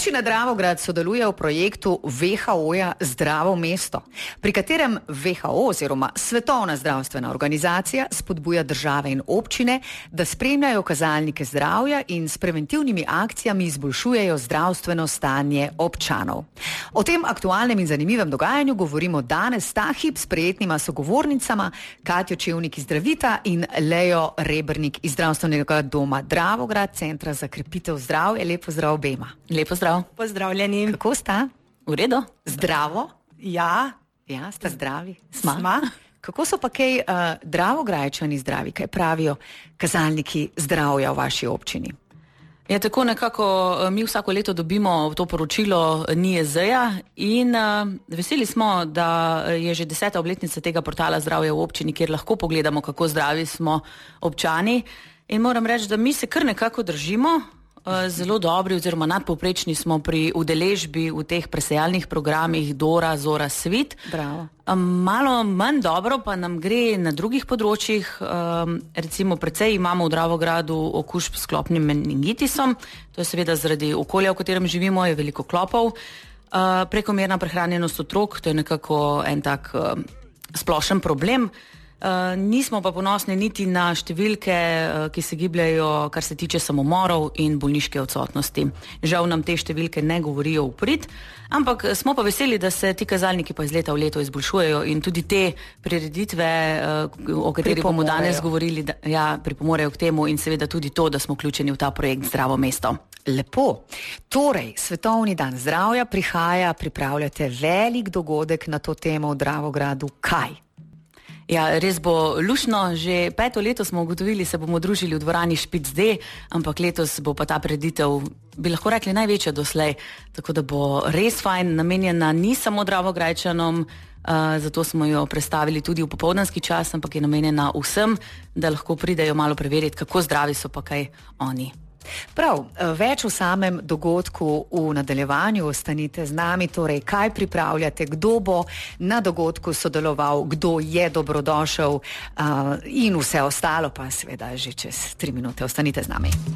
Občina Dravograd sodeluje v projektu WHO-ja Zdravo mesto, pri katerem WHO oziroma Svetovna zdravstvena organizacija spodbuja države in občine, da spremljajo kazalnike zdravja in s preventivnimi akcijami izboljšujejo zdravstveno stanje občanov. O tem aktualnem in zanimivem dogajanju govorimo danes ta hip s prijetnima sogovornicama Katjo Čevnik iz Zdravita in Lejo Rebernik iz Zdravstvenega doma Dravograd, Centra za krepitev zdravja. Lepo zdrav obema. Lepo zdrav. Pozdravljeni. Kako sta? V redu? Zdravo? Ja. Ja, sta zdravi? Sma. Kako so pa kaj Dravograjčani zdravi? Kaj pravijo kazalniki zdravja v vaši občini? Ja, tako nekako mi vsako leto dobimo to poročilo NIJZ-ja in veseli smo, da je že 10. obletnica tega portala Zdravje v občini, kjer lahko pogledamo, kako zdravi smo občani. In moram reči, da mi se kar nekako držimo, zelo dobri oziroma nadpovprečni smo pri udeležbi v teh presejalnih programih Dora, Zora, Svit. Bravo. Malo manj dobro pa nam gre na drugih področjih. Recimo precej imamo v Dravogradu okužb s klopnim meningitisom. To je seveda zaradi okolja, v katerem živimo, je veliko klopov. Prekomerna prehranjenost otrok, to je nekako en tak splošen problem. Nismo pa ponosni niti na številke, ki se gibljajo, kar se tiče samomorov in bolniške odsotnosti. Žal nam te številke ne govorijo v prid, ampak smo pa veseli, da se ti kazalniki pa iz leta v leto izboljšujejo in tudi te prireditve, o katerih bomo danes govorili, pripomorejo k temu in seveda tudi to, da smo vključeni v ta projekt Zdravo mesto. Lepo. Torej, Svetovni dan zdravja prihaja, pripravljate velik dogodek na to temo v Dravogradu. Kaj? Ja, res bo lušno. Že 5. leto smo ugotovili, se bomo družili v dvorani Špic D, ampak letos bo pa ta prireditev, bi lahko rekli, največja doslej. Tako da bo res fajn, namenjena ni samo Dravograjčanom, zato smo jo predstavili tudi v popoldanski čas, ampak je namenjena vsem, da lahko pridejo malo preveriti, kako zdravi so pa kaj oni. Prav, več v samem dogodku v nadaljevanju. Ostanite z nami, torej kaj pripravljate, kdo bo na dogodku sodeloval, kdo je dobrodošel in vse ostalo pa seveda že čez 3 minute. Ostanite z nami.